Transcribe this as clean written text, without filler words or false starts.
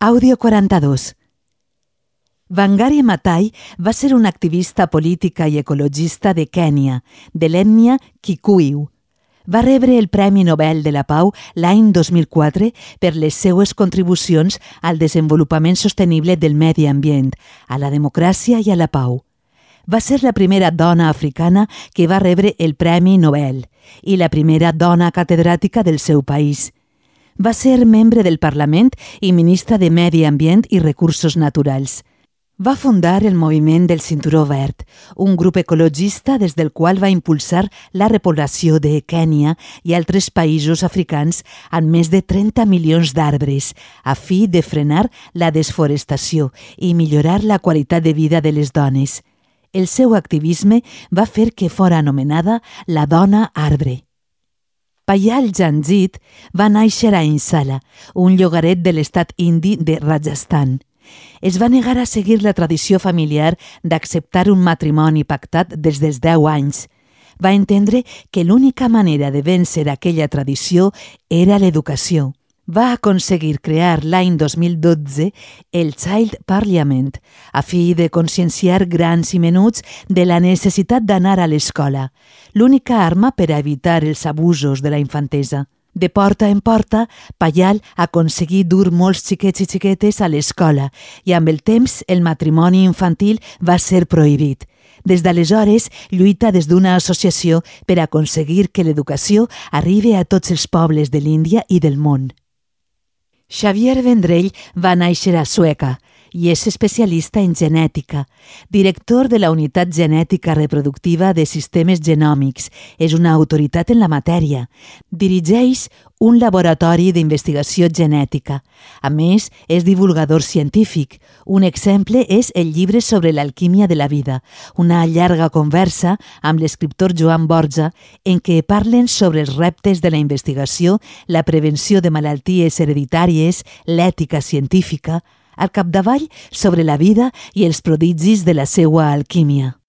Àudio 42. Wangari Maathai va ser una activista política i ecologista de Kènia, de l'ètnia Kikuyu. Va rebre el Premi Nobel de la Pau l'any 2004 per les seues contribucions al desenvolupament sostenible del medi ambient, a la democràcia i a la pau. Va ser la primera dona africana que va rebre el Premi Nobel i la primera dona catedràtica del seu país. Va ser membre del Parlament i ministra de Medi Ambient i Recursos Naturals. Va fundar el Moviment del Cinturó Verd, un grup ecologista des del qual va impulsar la repoblació de Kènia i altres països africans amb més de 30 milions d'arbres, a fi de frenar la desforestació i millorar la qualitat de vida de les dones. El seu activisme va fer que fora anomenada la dona arbre. Payal Janjit va néixer a Insala, un llogaret de l'estat indi de Rajasthan. Es va negar a seguir la tradició familiar d'acceptar un matrimoni pactat des dels 10 anys. Va entendre que l'única manera de vèncer aquella tradició era l'educació. Va aconseguir crear l'any 2012 el Child Parliament, a fi de conscienciar grans i menuts de la necessitat d'anar a l'escola, l'única arma per a evitar els abusos de la infantesa. De porta en porta, Payal aconseguí dur molts xiquets i xiquetes a l'escola i amb el temps el matrimoni infantil va ser prohibit. Des d'aleshores, lluita des d'una associació per aconseguir que l'educació arribi a tots els pobles de l'Índia i del món. Xavier Vendrell va néixer a Sueca i és especialista en genètica, director de la Unitat Genètica Reproductiva de Sistemes Genòmics. És una autoritat en la matèria. Dirigeix un laboratori d'investigació genètica. A més, és divulgador científic. Un exemple és el llibre sobre l'alquímia de la vida, una llarga conversa amb l'escriptor Joan Borja en què parlen sobre els reptes de la investigació, la prevenció de malalties hereditàries, l'ètica científica, al capdavall sobre la vida i els prodigis de la seua alquímia.